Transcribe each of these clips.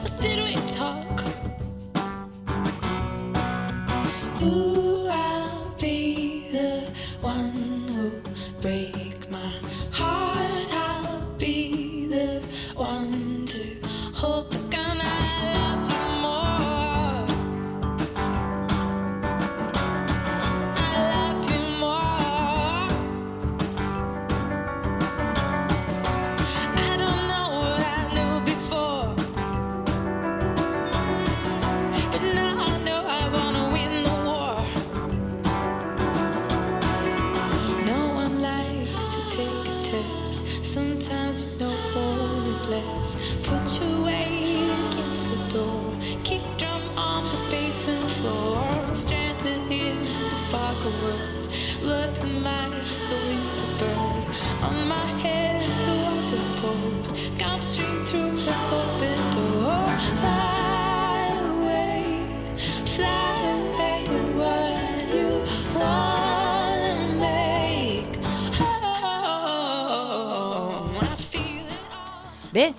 or did we talk? Ooh, I'll be the one who'll break my heart. I'll be the one to hold the gun. I love you more. I love you more. I don't know what I knew before, but now I know I wanna win the war. No one likes to take a test. Sometimes you know more is less. Put your weight against the door. Kick drum on the basement floor. Stranded in the fog of words. Loving like the winter bird. On my head the water pours. Come straight through the open door. Fly away what you wanna make. Oh, I feel it all. Bé,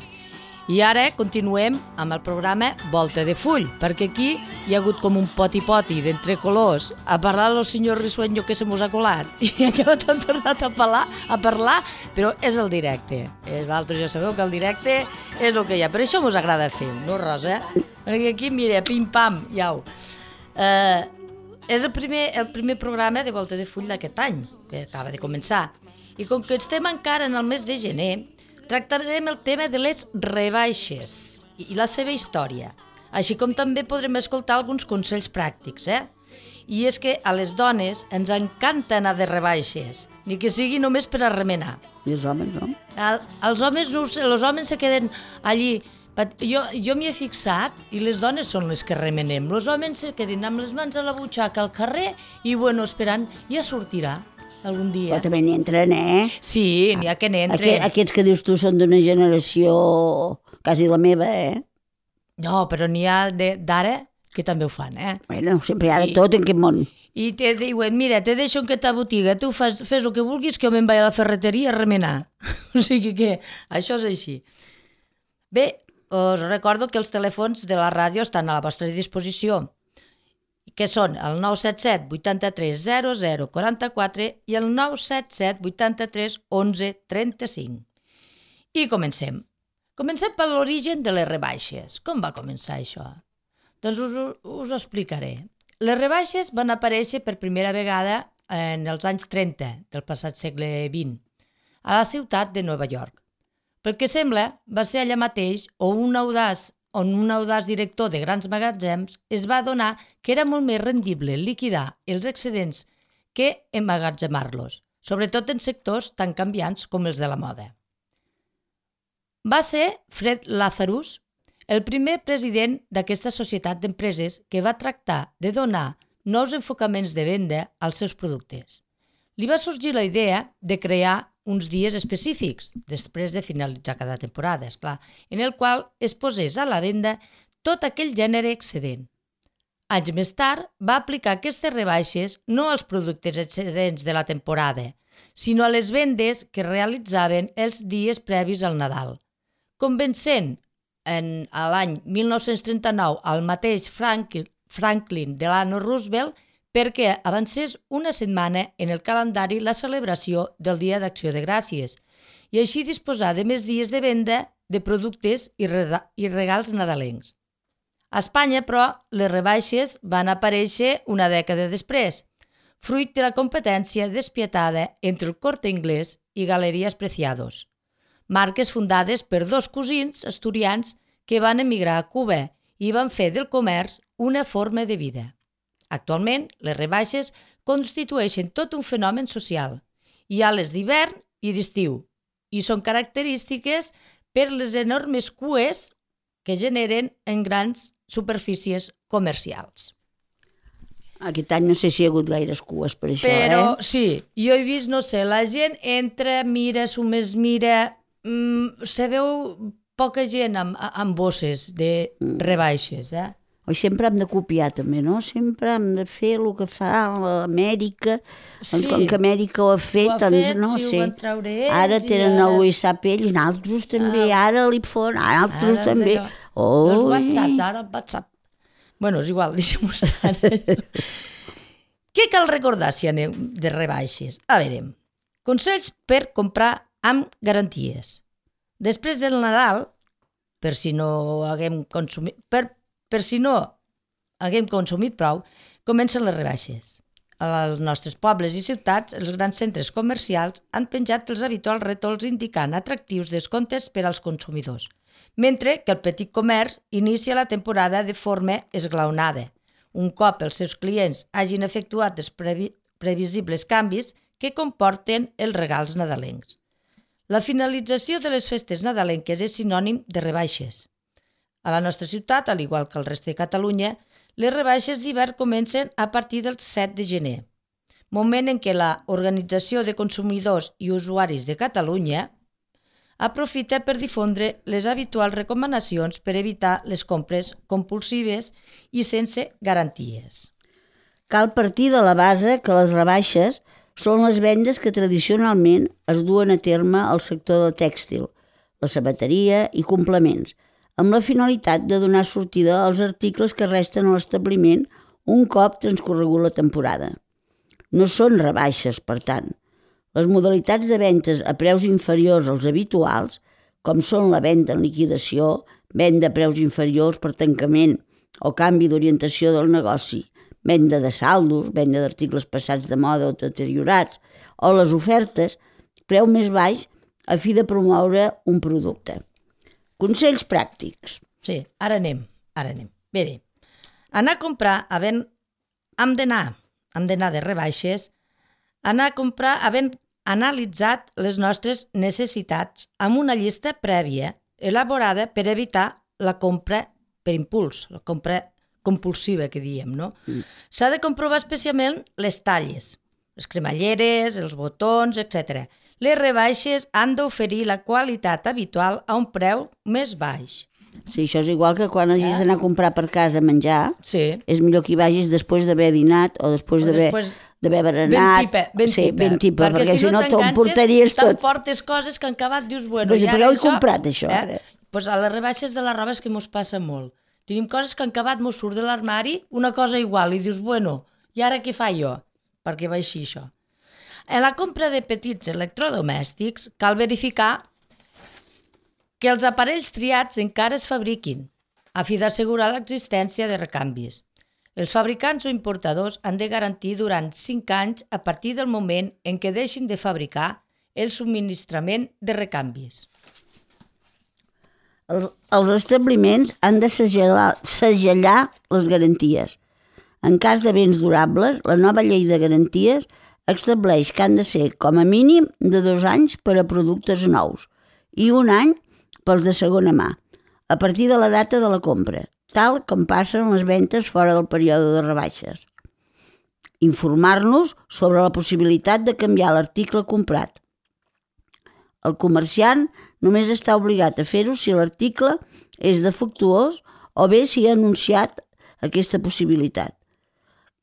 i ara continuem amb el programa Volta de Full, perquè aquí hi ha hagut com un poti-poti d'entre colors a parlar del senyor Risueño que se mos ha colat i encara t'han tornat a parlar, però és el directe. Vosaltres ja sabeu que el directe és el que hi ha, per això mos agrada fer, no Rosa? Perquè aquí, mira, pim-pam, iau. És el primer programa de Volta de Full d'aquest any, que acaba de començar. I com que estem encara en el mes de gener, tractarem el tema de les rebaixes i la seva història, així com també podrem escoltar alguns consells pràctics, I és que a les dones ens encanta anar de rebaixes, ni que sigui només per a remenar. I els homes, no? Els homes no ho sé, els homes se queden allí. Jo m'hi he fixat i les dones són les que remenem. Els homes se queden amb les mans a la butxaca al carrer i, esperant, ja sortirà algun dia. Però també n'entren, Sí, n'hi ha que n'entren. Aquests que dius tu són d'una generació quasi la meva, No, però n'hi ha d'ara que també ho fan, Bueno, sempre hi ha de tot en aquest món. I te diuen, mira, te deixo en aquesta botiga, tu fes el que vulguis, que jo me'n vaig a la ferreteria a remenar. O sigui que això és així. Bé, us recordo que els telèfons de la ràdio estan a la vostra disposició, que són el 977 83 00 44 i el 977 83 11 35. I comencem. Comencem per l'origen de les rebaixes. Com va començar això? Doncs us ho explicaré. Les rebaixes van aparèixer per primera vegada en els anys 30 del passat segle XX, a la ciutat de Nova York. Pel que sembla, va ser allà mateix on un audaç director de grans magatzems es va adonar que era molt més rendible liquidar els excedents que emmagatzemar-los, sobretot en sectors tan canviants com els de la moda. Va ser Fred Lazarus, el primer president d'aquesta societat d'empreses que va tractar de donar nous enfocaments de venda als seus productes. Li va sorgir la idea de crear uns dies específics, després de finalitzar cada temporada, esclar, en el qual es posés a la venda tot aquell gènere excedent. Anys més tard, va aplicar aquestes rebaixes no als productes excedents de la temporada, sinó a les vendes que realitzaven els dies previs al Nadal, convencent a l'any 1939 al mateix Franklin Delano Roosevelt perquè avancés una setmana en el calendari la celebració del Dia d'Acció de Gràcies i així disposar de més dies de venda de productes i regals nadalencs. A Espanya, però, les rebaixes van aparèixer una dècada després, fruit de la competència despietada entre el Corte Inglés i Galerías Preciados, marques fundades per dos cosins asturians que van emigrar a Cuba i van fer del comerç una forma de vida. Actualment, les rebaixes constitueixen tot un fenomen social. Hi ha les d'hivern i d'estiu i són característiques per les enormes cues que generen en grans superfícies comercials. Aquest any no sé si hi ha hagut gaires cues per això, Però sí, jo he vist, no sé, la gent entra, mira, s'ho més mira, se veu poca gent amb bosses de rebaixes, Oi, sempre hem de copiar també, no? Sempre hem de fer el que fa l'Amèrica. Doncs com que Amèrica ho ha fet, doncs no sí, sé. ho van treure ells. Ara tenen el WhatsApp ells, nosaltres també, ara l'iPhone, nosaltres també. Els WhatsApps, ara el WhatsApp. Bueno, és igual, deixem-ho estar. Què cal recordar si aneu de rebaixes? A veure, consells per comprar amb garanties. Després del Nadal, per si no haguem consumit, per si no haguem consumit prou, comencen les rebaixes. Als nostres pobles i ciutats, els grans centres comercials han penjat els habituals rètols indicant atractius descomptes per als consumidors, mentre que el petit comerç inicia la temporada de forma esglaonada, un cop els seus clients hagin efectuat els previsibles canvis que comporten els regals nadalencs. La finalització de les festes nadalenques és sinònim de rebaixes. A la nostra ciutat, al igual que al reste de Catalunya, les rebaixes d'hivern comencen a partir del 7 de gener, moment en què l'Organització de Consumidors i Usuaris de Catalunya aprofita per difondre les habituals recomanacions per evitar les compres compulsives i sense garanties. Cal partir de la base que les rebaixes són les vendes que tradicionalment es duen a terme al sector del tèxtil, la sabateria i complements, amb la finalitat de donar sortida als articles que resten a l'establiment un cop transcorregut la temporada. No són rebaixes, per tant. Les modalitats de ventes a preus inferiors als habituals, com són la venda en liquidació, venda a preus inferiors per tancament o canvi d'orientació del negoci, venda de saldos, venda d'articles passats de moda o deteriorats, o les ofertes, preu més baix a fi de promoure un producte. Consells pràctics. Sí, ara anem. Bé, anar a comprar havent d'anar de rebaixes, anar a comprar havent analitzat les nostres necessitats amb una llista prèvia elaborada per evitar la compra per impuls, la compra compulsiva que diem, no? S'ha de comprovar especialment les talles, les cremalleres, els botons, etc. Les rebaixes han d'oferir la qualitat habitual a un preu més baix. Sí, això és igual que quan hagis d'anar a comprar per casa menjar. Sí. És millor que hi vagis després d'haver dinat o després d'haver berenat. Ben tipa, perquè si no t'emportaries tot. T'emportes coses que han acabat, dius, bueno, però per què ho he comprat, això, ara? Doncs a les rebaixes de la roba és que mos passa molt. Tenim coses que han acabat, mos surt de l'armari, una cosa igual, i dius, bueno, i ara què fa jo? Perquè va així, això. En la compra de petits electrodomèstics cal verificar que els aparells triats encara es fabriquin, a fi d'assegurar l'existència de recanvis. Els fabricants o importadors han de garantir durant 5 anys a partir del moment en què deixin de fabricar el subministrament de recanvis. Els establiments han de segellar les garanties. En cas de béns durables, la nova llei de garanties estableix que han de ser com a mínim de 2 anys per a productes nous i 1 any pels de segona mà, a partir de la data de la compra, tal com passen les ventes fora del període de rebaixes. Informar-nos sobre la possibilitat de canviar l'article comprat. El comerciant només està obligat a fer-ho si l'article és defectuós o bé si ha anunciat aquesta possibilitat.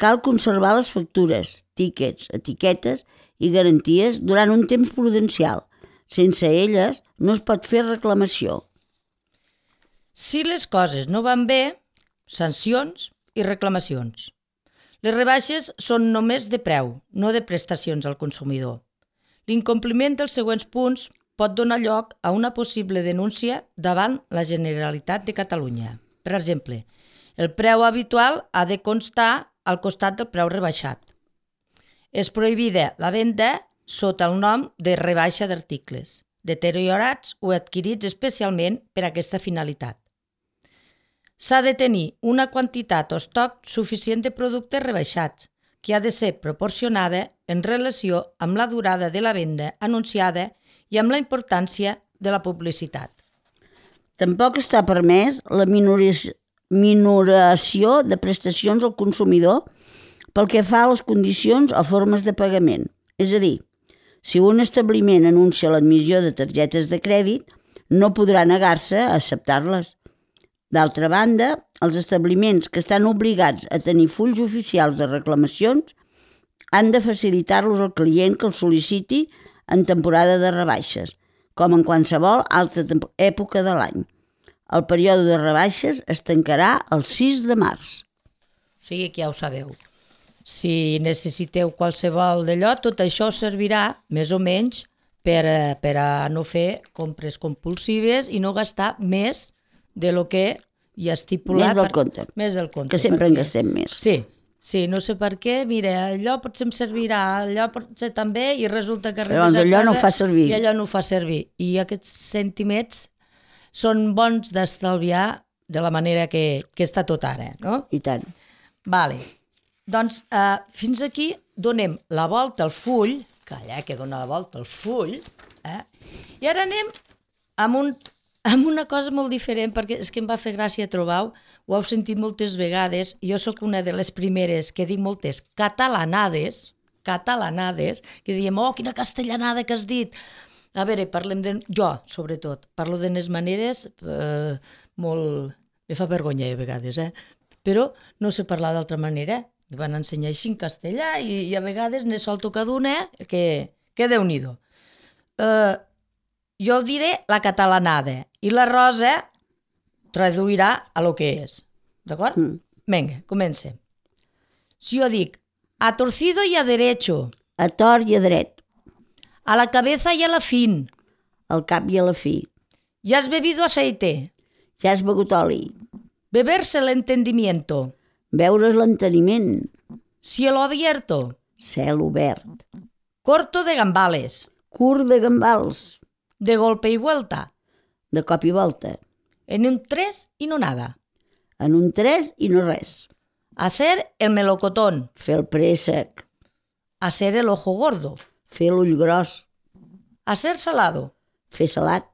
Cal conservar les factures, tíquets, etiquetes i garanties durant un temps prudencial. Sense elles no es pot fer reclamació. Si les coses no van bé, sancions i reclamacions. Les rebaixes són només de preu, no de prestacions al consumidor. L'incompliment dels següents punts pot donar lloc a una possible denúncia davant la Generalitat de Catalunya. Per exemple, el preu habitual ha de constar al costat del preu rebaixat. És prohibida la venda sota el nom de rebaixa d'articles, deteriorats o adquirits especialment per a aquesta finalitat. S'ha de tenir una quantitat o estoc suficient de productes rebaixats, que ha de ser proporcionada en relació amb la durada de la venda anunciada i amb la importància de la publicitat. Tampoc està permès la minoració de prestacions al consumidor pel que fa a les condicions o formes de pagament. És a dir, si un establiment anuncia l'admissió de targetes de crèdit, no podrà negar-se a acceptar-les. D'altra banda, els establiments que estan obligats a tenir fulls oficials de reclamacions han de facilitar-los al client que els sol·liciti en temporada de rebaixes, com en qualsevol altra època de l'any. El període de rebaixes es tancarà el 6 de març. O sigui que ja ho sabeu. Si necessiteu qualsevol d'allò, tot això servirà, més o menys, per a no fer compres compulsives i no gastar més de lo que hi ha estipulat. Més del compte. Més del compte. Que sempre en gastem més. Sí, no sé per què, mira, allò potser em servirà, allò potser també, i resulta que Però arribes a allò casa no fa servir. I allò no ho fa servir. I aquests centimets són bons d'estalviar de la manera que està tot ara, no? I tant. Vale. Doncs fins aquí donem la volta al full, calla, que dona la volta al full, i ara anem amb una cosa molt diferent, perquè és que em va fer gràcia trobar-ho, ho heu sentit moltes vegades, jo sóc una de les primeres que dic moltes catalanades, que diem, oh, quina castellanada que has dit. A veure, parlem de... Jo, sobretot, parlo de les maneres molt... Me fa vergonya a vegades, però no sé parlar d'altra manera. Me van ensenyar així en castellà i a vegades ne solto cada una que Déu-n'hi-do. Jo diré la catalanada i la Rosa traduirà a lo que és. D'acord? Vinga, comencem. Si jo dic a torcido y a derecho, A tort i a dret, a la cabeza y a la fin, al cap i a la fi. ¿ya has bebido aceite? Ja has begut oli. Beberse el entendimiento, Veure's l'enteniment. cielo abierto, Cel obert. corto de gambales, Curt de gambals. de golpe y vuelta, De cop i volta. en un tres y no nada. En un 3 i no res. Hacer el melocotón, Fer el préssec. hacer el ojo gordo, Fer l'ull gros. hacer salado, Fer salat.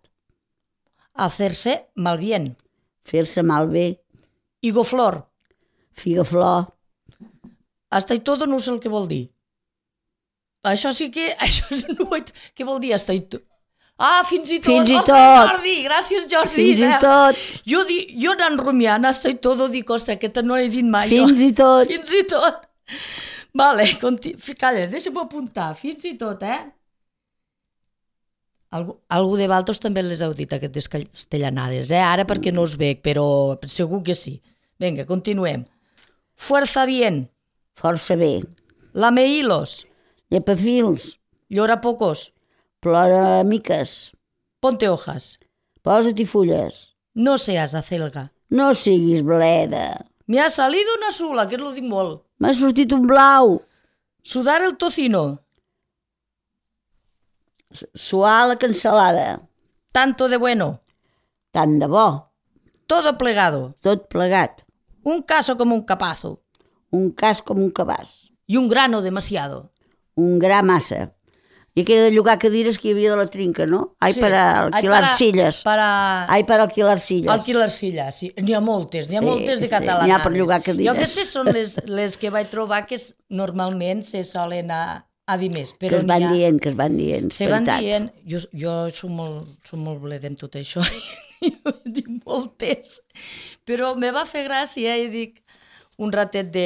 hacerse mal bien, Fer-se malbé. higoflor. Figaflor. Hasta y todo no sé el que vol dir. Això sí que... Això no ho he... Què vol dir hasta y todo? Ah, fins i tot. Fins i Ostres, tot. Jordi, gràcies, Jordi. Fins i tot. Jo anant rumiant hasta y todo dic, ostres, aquesta no l'he dit mai. Fins i tot. Fins i tot. Vale, calla, deixa'm apuntar. Fins i tot, Algú de Valtos també les heu dit, aquestes castellanades, Ara perquè no us veig, però segur que sí. Vinga, continuem. Fuerza bien. Força bé. Lamehilos. Llepafils. Llora pocos. Plora miques. Ponte hojas. Posa-t'hi fulles. No seas acelga. No siguis bleda. Me ha salido una sula, que no dic molt. M'ha sortit un blau. Sudar el tocino. Suar la cansalada. Tanto de bueno. Tant de bo. Todo plegado. Tot plegat. Un caso como un capazo. Un cas com un cabàs. Y un grano demasiado. Un gra massa. I aquella de llogar cadires que hi havia de la trinca, no? Ai, Sí. per alquilar silles. Ai, per alquilar silles. Alquilar silles, sí. N'hi ha moltes, Sí, moltes de sí, catalanades. n'hi ha per llogar cadires. Jo aquestes són les que vaig trobar que normalment se solen a dir més. Que Però es van n'hi ha- dient, que es van dient. Se van veritat. dient, jo soc molt bleda en tot això, jo dic moltes, però me va fer gràcia i dic un ratet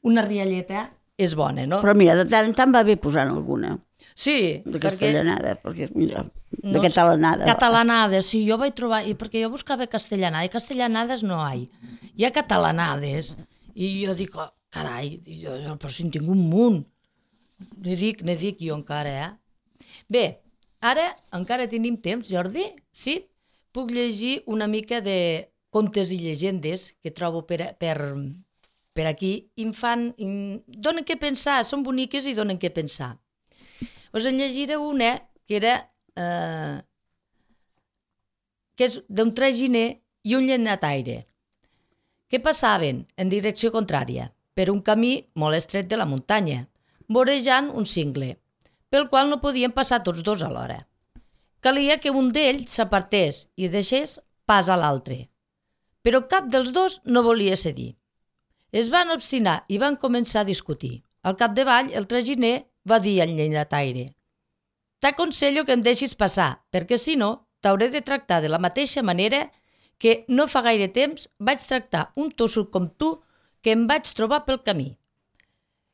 una rialleta és bona, no? Però mira, de tant en tant va bé posant alguna. Sí, De castellanada, perquè és millor. De No, catalanada. Catalanades, sí, jo vaig trobar, perquè jo buscava castellanada, i castellanades no hi ha catalanades, i jo dic, oh, carai, però si en tinc un munt. Ne dic jo encara, Bé, ara encara tenim temps, Jordi, sí? Puc llegir una mica de contes i llegendes que trobo per aquí i donen què pensar, són boniques i donen què pensar. Us en llegiré una que era que és d'un traginer i un llenataire, que passaven en direcció contrària per un camí molt estret de la muntanya, vorejant un cingle, pel qual no podien passar tots dos alhora. Calia que un d'ells s'apartés i deixés pas a l'altre, però cap dels dos no volia cedir. Es van obstinar i van començar a discutir. Al capdavall, el traginer va dir al llenataire: «T'aconsello que em deixis passar, perquè si no, t'hauré de tractar de la mateixa manera que no fa gaire temps vaig tractar un tossut com tu que em vaig trobar pel camí.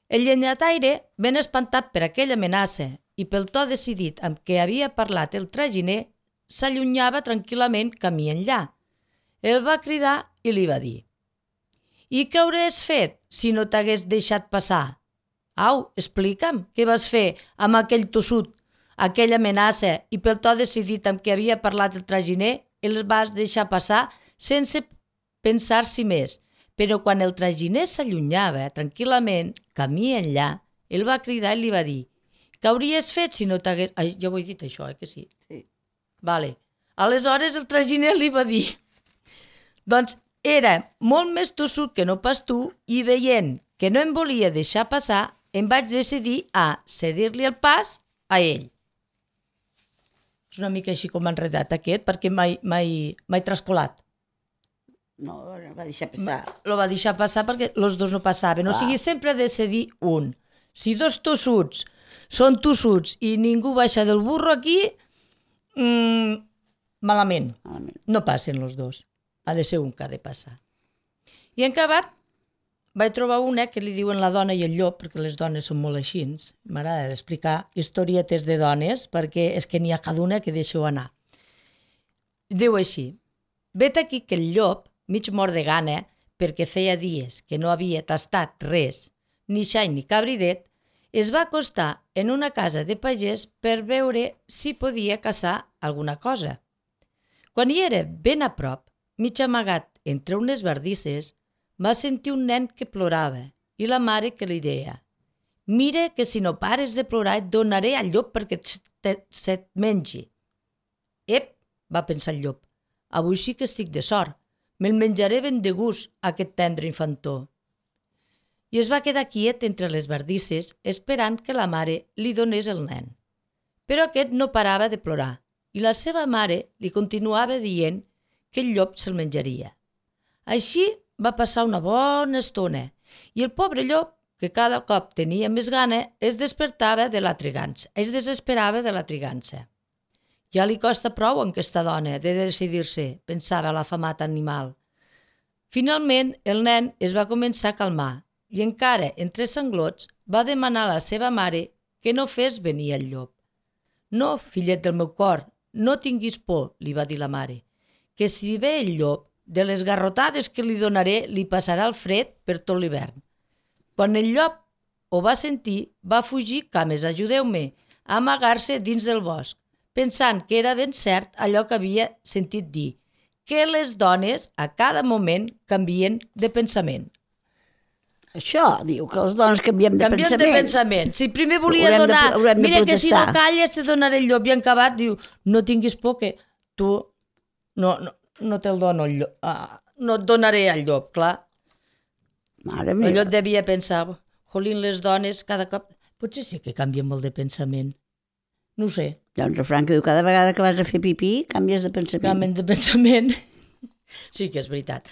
El llenyataire, ben espantat per aquella amenaça i pel to decidit amb què havia parlat el traginer, s'allunyava tranquil·lament camí enllà. El va cridar i li va dir: «I què hauries fet si no t'hagués deixat passar? Au, explica'm què vas fer amb aquell tossut, aquella amenaça i pel to decidit amb què havia parlat el traginer, el vas deixar passar sense pensar-s'hi més». Però quan el traginer s'allunyava tranquil·lament, camí enllà, el va cridar i li va dir: «Què hauries fet si no t'hagués...» Ai, ja ho he dit això, que sí? Sí. Vale. Aleshores el traginer li va dir: «Doncs era molt més tossut que no pas tu i veient que no em volia deixar passar, em vaig decidir a cedir-li el pas a ell». És una mica així com enredat aquest, perquè m'he trascolat. No, va deixar passar. Lo va deixar passar perquè els dos no passaven. O sigui, sempre ha de cedir un. Si dos tossuts són tossuts i ningú baixa del burro aquí, malament. No passen els dos. Ha de ser un que ha de passar. I en acabat vaig trobar una que li diuen La dona i el llop, perquè les dones són molt així. M'agrada explicar historietes de dones, perquè és que n'hi ha cada una que deixeu anar. Diu així: «Vet aquí que el llop, mig mort de gana, perquè feia dies que no havia tastat res, ni xai ni cabridet, es va acostar en una casa de pagès per veure si podia caçar alguna cosa. Quan hi era ben a prop, mig amagat entre unes bardisses, va sentir un nen que plorava i la mare que li deia: «Mira que si no pares de plorar et donaré al llop perquè se't mengi». «Ep», va pensar el llop, «avui sí que estic de sort. Me'l menjaré ben de gust, aquest tendre infantó». I es va quedar quiet entre les bardisses esperant que la mare li donés el nen. Però aquest no parava de plorar i la seva mare li continuava dient que el llop se'l menjaria. Així va passar una bona estona i el pobre llop, que cada cop tenia més gana, es despertava de la trigança, es desesperava de la trigança. Ja li costa prou a aquesta dona de decidir-se, pensava l'afamat animal. Finalment, el nen es va començar a calmar i encara entre sanglots va demanar a la seva mare que no fes venir el llop. «No, fillet del meu cor, no tinguis por», li va dir la mare, «que si ve el llop, de les garrotades que li donaré li passarà el fred per tot l'hivern». Quan el llop ho va sentir, va fugir, cames, ajudeu-me, a amagar-se dins del bosc, pensant que era ben cert allò que havia sentit dir, que les dones a cada moment canvien de pensament. Això diu, que les dones canviem de pensament. Canvien de pensament. Si primer volia donar, mira que si no calles te donaré el llop, i en acabat diu, no tinguis por que tu no te'l dono el llop, no et donaré el llop, clar. Mare meva. El llop devia pensar, jolín, les dones cada cop... Potser sí que canvien molt de pensament. No ho sé. Hi ha un refrany que diu, cada vegada que vas a fer pipí, canvies de pensament. Canvien de pensament. Sí que és veritat.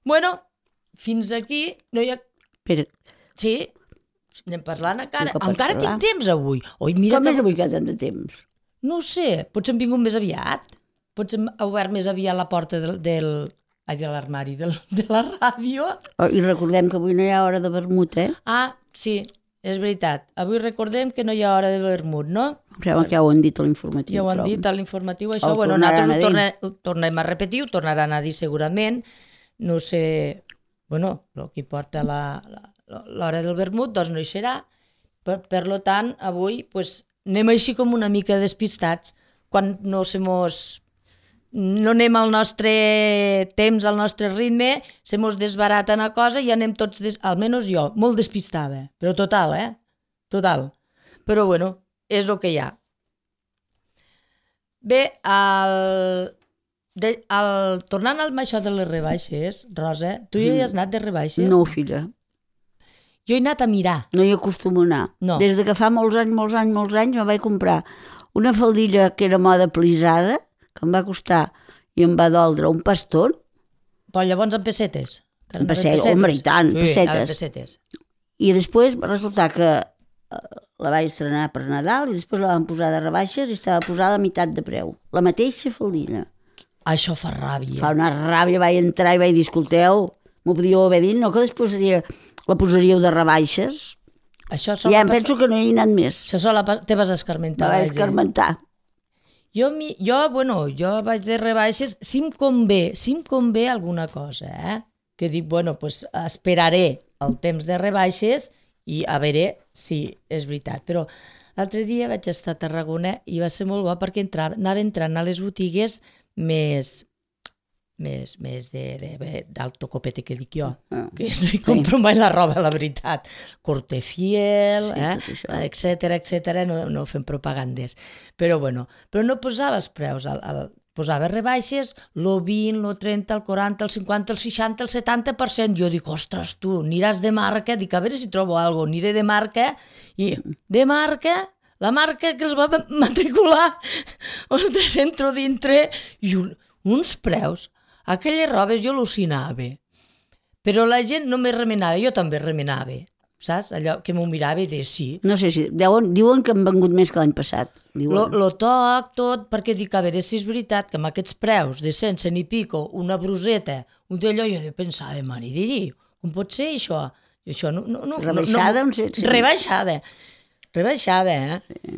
Bueno, fins aquí no hi ha... Espera. Sí, anem parlant encara. Tu que pots Encara parlar. tinc temps avui. Oi, mira Com que... és avui que tant de temps? No ho sé, potser hem vingut més aviat. Potser hem obert més aviat la porta de l'armari, de la ràdio. Oh, i recordem que avui no hi ha hora de vermut, eh? Ah, sí, és veritat. Avui recordem que no hi ha hora de vermut, no? Em sembla que ja ho han dit a l'informatiu. Ja ho han però dit a l'informatiu, això. El Bueno, tornaran nosaltres a ho tornem a repetir, ho tornaran a dir segurament. No sé, bueno, el que porta l'hora del vermut, doncs no hi serà. Per lo tant, avui pues, anem així com una mica despistats quan no anem al nostre temps, al nostre ritme, se mos desbarata una cosa i anem tots, almenys jo, molt despistada, però total, total. Però bueno, és el que hi ha. Bé, tornant amb això de les rebaixes, Rosa, tu ja hi has anat de rebaixes? No, filla. Jo he anat a mirar. No hi acostumo a anar. No. Des de que fa molts anys me vaig comprar una faldilla que era moda plisada, que em va costar i em va doldre un paston. Però llavors en pessetes? En pessetes, home, i tant, sí, pessetes. pessetes. I després va resultar que la vaig estrenar per Nadal i després la van posar de rebaixes i estava posada a meitat de preu. La mateixa faldilla. Això fa ràbia. Fa una ràbia, vaig entrar i vaig dir, escolteu, m'ho podíeu haver dit, no que després la posaríeu de rebaixes? Això Ja em penso que no hi he anat més. Això sola te vas escarmentar. Me vaig escarmentar. Jo vaig de rebaixes, si em convé alguna cosa, que dic, pues esperaré el temps de rebaixes i a veure si és veritat. Però l'altre dia vaig estar a Tarragona i va ser molt bo perquè anava entrant a les botigues més d'alto copete, que dic jo, que no hi compro mai la roba, la veritat. Cortefiel, etcètera, no fem propagandes. Però no posava els preus, posava rebaixes, el 20, el 30, el 40, el 50, el 60, el 70%. Jo dic, ostres, tu, aniràs de marca, dic, a veure si trobo alguna cosa, aniré de marca, i de marca, la marca que els va matricular, ostres, entro dintre, i uns preus. Aquelles robes jo al·lucinava, però la gent no me remenava, jo també remenava, saps? Allò que m'ho mirava i deia sí. No sé si, diuen que han vengut més que l'any passat. Lo toc, tot, perquè dic, a veure si és veritat que amb aquests preus de 100 i pico, una bruseta, un d'allò, jo pensava, mare de Déu, com pot ser això? Això no, rebaixada, rebaixada, Sí.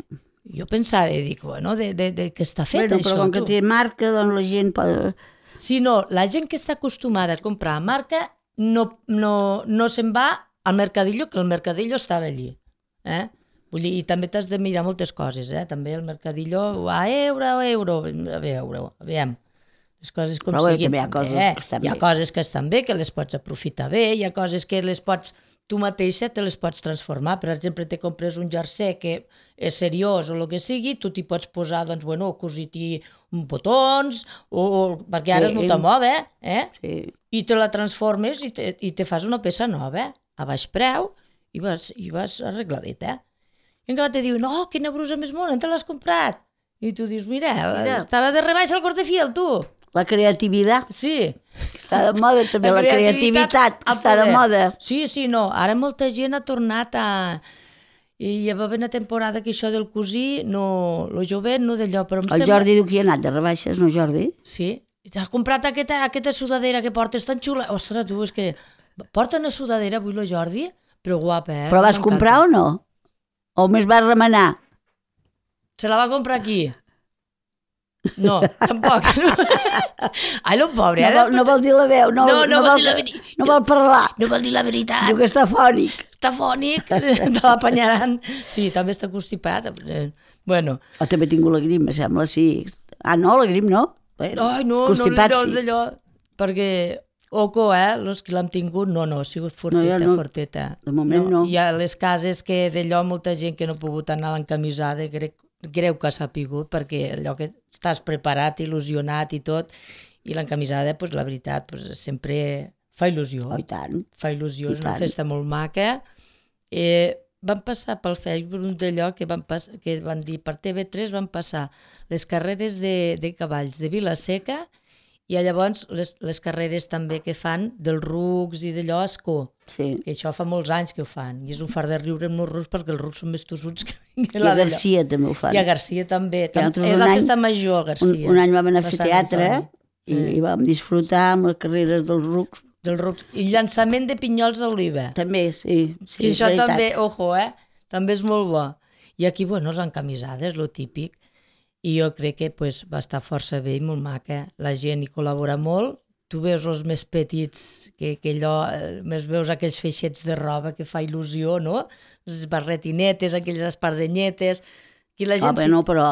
Jo pensava, dic, de què està fet això? Però com que té marca, doncs la gent pot... Si no, la gent que està acostumada a comprar a marca no se'n va al mercadillo, que el mercadillo estava allí. Vull dir, i també t'has de mirar moltes coses, també el mercadillo a euro, aviam, les coses com siguin. Però també hi ha coses que estan bé, que les pots aprofitar bé, hi ha coses que les pots... Tu mateixa te les pots transformar. Per exemple, te compres un jersei que és seriós o el que sigui, tu t'hi pots posar, cosir-t'hi botons, perquè ara és molta moda, Sí. I te la transformes i te fas una peça nova, a baix preu, i vas arregladet, I encara te diuen, quina brusa més mona, on te l'has comprat? I tu dius, mira, estava de rebaixa al Cortefiel, tu. La creativitat. Sí. Està de moda també, la creativitat està de moda. Sí, no, ara molta gent ha tornat a... I hi va haver una temporada que això del cosir, el jovent, no d'allò, però em sembla... El Jordi diu que hi ha anat de rebaixes, no, Jordi? Sí, t'has comprat aquesta sudadera que portes tan xula. Ostres, tu, és que porta una sudadera avui el Jordi, però guapa, Però vas comprar o no? O més vas remenar? Se la va comprar aquí. No, tampoc. Ai, el pobre. No vol dir la veu, no vol parlar. No vol dir la veritat. Diu que està fònic. Està fònic, te l'apanyarán. Sí, també està constipat. Bueno. També he tingut la grip, sembla, sí. No, la grip no. Ai, no d'allò. Perquè, els que l'han tingut, no, ha sigut forteta. De moment no. Hi ha les cases que d'allò molta gent que no ha pogut anar a l'encamisada, creu que s'ha pigut, perquè allò que estàs preparat, il·lusionat i tot, i l'encamisada, la veritat, sempre fa il·lusió. I tant. Fa il·lusió, és una festa molt maca. Van passar pel Facebook un d'allò que van dir, per TV3 van passar les carreres de cavalls de Vila-seca i llavors les carreres també que fan dels rucs i d'allò a Ascó. Sí. Que això fa molts anys que ho fan. I és un far de riure amb els rucs perquè els rucs són més tossuts que la d'allò. I a Garcia també ho fan. I a Garcia també. És la festa major, a Garcia. Un any vam anar a fer teatre i vam disfrutar amb les carreres dels rucs. I llançament de pinyols d'oliva. També, sí. Que això també, també és molt bo. I aquí, les encamisades, lo típic. I jo crec que va estar força bé i molt maca. La gent hi col·labora molt. Tu veus els més petits, que allò, més veus aquells feixets de roba que fa il·lusió, no? Les barretinetes, aquelles espardenyetes... Però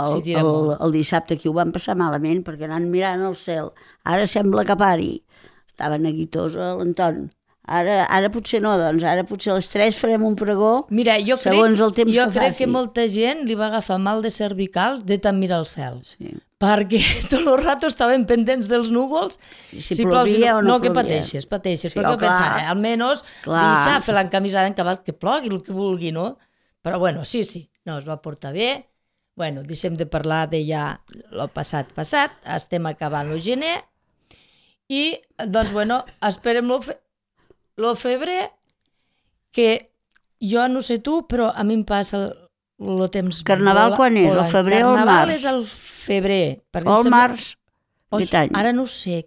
el dissabte aquí ho van passar malament perquè anant mirant el cel. Ara sembla que pari. Estava neguitós l'Anton. Ara potser no, doncs ara potser a les 3 farem un pregó. Mira, segons el temps que faci. Jo crec que molta gent li va agafar mal de cervical de tant mirar el cel. Sí. Perquè tot el rato estaven pendents dels núvols. Si plovia o no plovia. No, que pateixes, sí, perquè pensava, almenys deixar fer l'encamisada en cabal, que plogui el que vulgui, no? Però sí, no, es va portar bé. Deixem de parlar de ja el passat, estem acabant el gener i, esperem el febrer, que jo no sé tu, però a mi em passa el temps... Carnaval quan és? El febrer o el març? Carnaval és el febrer. O el març? aquest any. Ara no ho sé.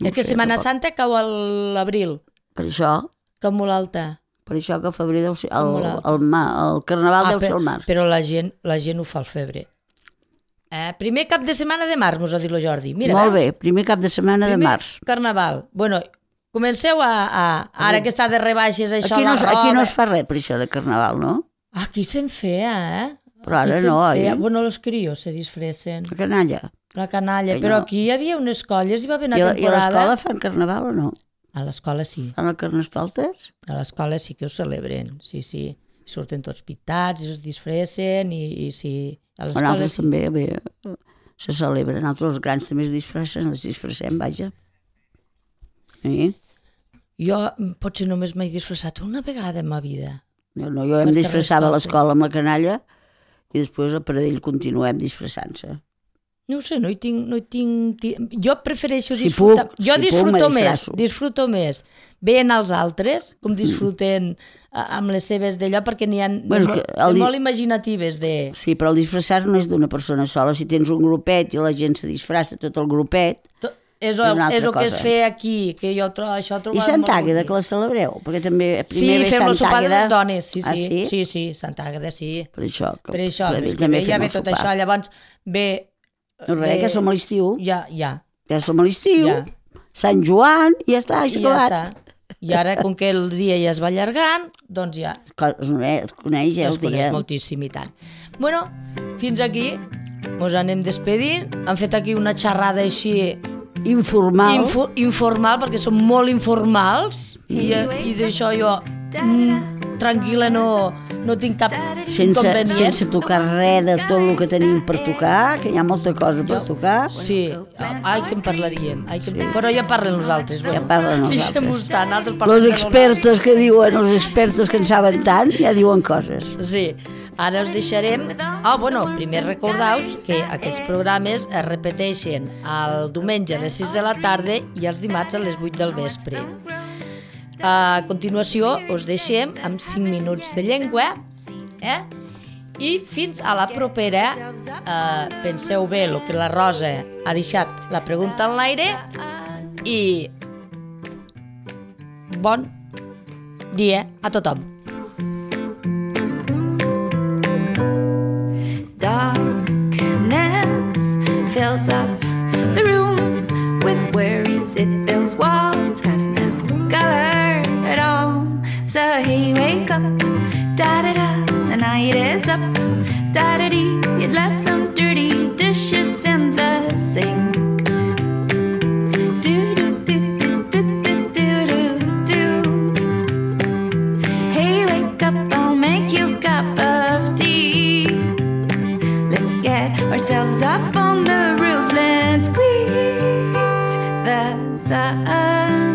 No És que sé, Setmana tampoc. Santa cau a l'abril, Per això cau molt alta. que el febrer deu ser... Com molt alta. El carnaval deu ser el març. Però la gent ho fa al febrer. Primer cap de setmana de març, mos ha dit el Jordi. Mira, Molt veus? bé, primer cap de setmana de març. Carnaval. Bueno, comenceu ara que està de rebaixes això, Aquí no es fa res per això de carnaval, no? Aquí se'n feia, Però ara Aquí no, se'n feia. oi? Bueno, los crios se disfressen. La canalla. La canalla. Que Però no. aquí hi havia unes colles, hi va haver una I a temporada... l'escola fan carnaval o no? A l'escola sí. Fan el carnestoltes? A l'escola sí que ho celebren, sí. Surten tots pintats i es disfressen i sí. A l'escola Nosaltres sí. també bé, se celebren. Nosaltres els grans també es disfressen, els disfressem, vaja. Jo potser només m'he disfressat una vegada en ma vida. Jo em disfressava a l'escola amb la canalla i després a Pradell continuem disfressant-se. No ho sé, no hi tinc... Jo prefereixo Si disfrutar... puc, Jo si puc, me disfresso. disfruto més veient els altres, com disfruten amb les seves d'allò, perquè n'hi ha molt imaginatives de... Sí, però el disfressar no és d'una persona sola. Si tens un grupet i la gent se disfressa, tot el grupet... És el que es fe aquí, que jo això trobo... I Sant Àgueda, que la celebreu? Perquè també primer ve fem el Sant sopar de Àgueda... les dones, sí. Ah, sí? Sí, Sant Àgueda, sí. Per això, és que ve, ja ve tot això, llavors ve... No res, que som a l'estiu. Ja. Ja som a l'estiu. Ja. Sant Joan, i ja està, això acabat. I ara, com que el dia ja es va allargant, doncs ja... Es coneix ja el dia. Es coneix moltíssim i tant. Bueno, fins aquí mos anem despedint. Han fet aquí una xerrada així... Informal. Informal, perquè som molt informals i d'això jo tranquil·la no tinc cap inconvenient. Sense tocar res de tot el que tenim per tocar, que hi ha molta cosa per tocar. Sí, que en parlaríem. Però ja parlen nosaltres. Ja parlen nosaltres. Deixem-ho estar, nosaltres parlem. Els expertos que diuen, els expertos que en saben tant, ja diuen coses. Sí. Ara us deixarem... primer recordeu-vos que aquests programes es repeteixen el diumenge a les 6 de la tarda i els dimarts a les 8 del vespre. A continuació us deixem amb 5 minuts de llengua i fins a la propera. Penseu bé el que la Rosa ha deixat la pregunta en l'aire i bon dia a tothom. Darkness fills up the room with worries. It builds walls, has no color at all. So hey, wake up, da-da-da, the night is up, da-da-dee. You'd left some dirty dishes in the sink. Hey, wake up, I'll make you a cup of tea. Get ourselves up on the roof, let's greet the sun.